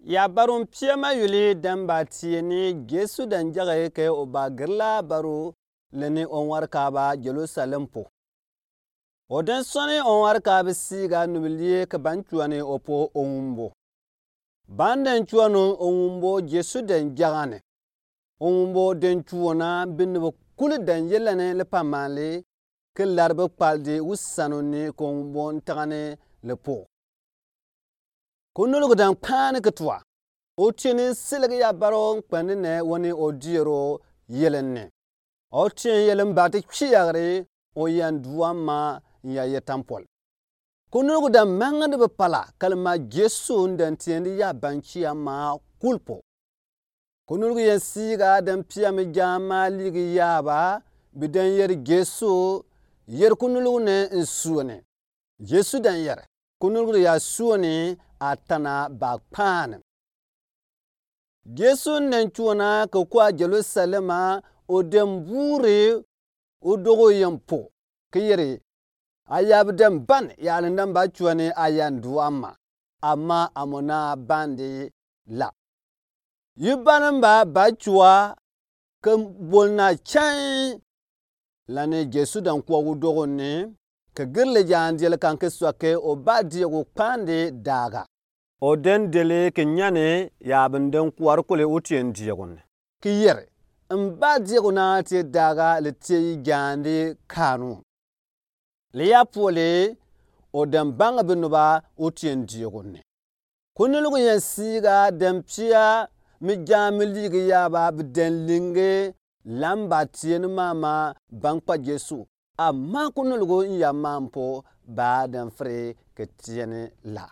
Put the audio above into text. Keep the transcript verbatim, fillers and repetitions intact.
Yabaru n pia ma yuli den ba tie ni Yesu den jage ke o ba girila baru leni o ŋwareka ba Jerusalem po. O den sɔni o ŋwareka bi siiga nubilie ke ban cuani o po o ŋumbo. Ban den cuanu o ŋumbo Yesu den jagane. O ŋumbo den cuona bi nubi kuli den yelani li pa mali ke laribi kpaldi wu sanu ni ke o ŋumbo n tagane li po. Ko nulgu den kpaani ke tua. O tieni siligi yabaru n kpɛndi ne wani o diero yelen ne. O tien yelen bati kiyagri o yan duama n ya ye tampol. Ko nulgu den mangadi bi pala kalima Yesu n den tiendi yaban kia ma kul po. Ko nulgu yen siiga den pia mi jama ligi yaba bi den yeri Yesu yeri ko nulgu ne n suoni. Yesu den yeri ko nulgu ya suoni a tana ba kpaani. Yesu n den cuona ke kua Jerusalema o den buuri o dogo yen po ke yeri a yabi den ban yalin den ba cuani a yan duama. Amma amo na bandi la. Yi bani n ba ba cua ke bol na can. Lani Yesu den kua wu dogo ni ke girili jaan diel kan ke sua ke o ba diegu kpaandi daga. O den deli ke nyani yabi n den kuari kuli o tien diegu ni ke yeri n ba diegu na tie daga li tie yi jaandi kaanu. Li ya poli o den bangi bi nuba o tien diegu ni. Ko nulgu yen siiga den pia mi jami ligi yaba bi den linge lamba tieni mama ban kpa Yesu. Amma ko nulgu n ya mampo ba den firi ke tieni la.